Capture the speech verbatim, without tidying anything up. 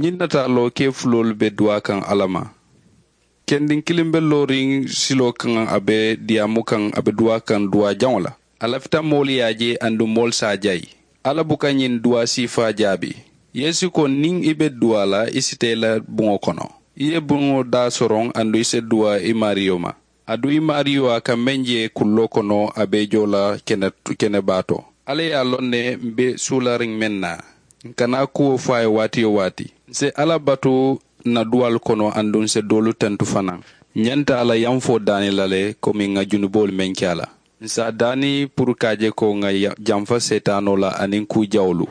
Ñiŋ nataaloo kee fuloolu be duwaa kaŋ alla ma. Kendiŋ kiliŋ be looriŋ siloo kaŋ a be diyaamu kaŋ a be duwaa kaŋ duwaa jaŋo la. A lafita moolu ye a je aduŋ moolu se a jayi. Alla buka ñiŋ duwaa siifaa jaabi. Yeesu ko niŋ i be duwaa la i si taa i la buŋo kono. I ye buŋo daa soroŋ aduŋ i si duwaa i maariyo ma. Aduŋ i maariyo a ka meŋ je kulloo kono a be i joo la kene baa to. Alla ye a loŋ ne m̀ be suulariŋ meŋ na. N kana kuwo fo a ye waati-yo-waati. N si alla batu n na duwaalu kono aduŋ n si doolu tentu fanaa. N ñanta a la yamfoo daani la le komi ŋà junuboolu meŋ ke a la. N si a daani puru ka a je ko ŋà jamfa seetaanoo la aniŋ kuu jawolu.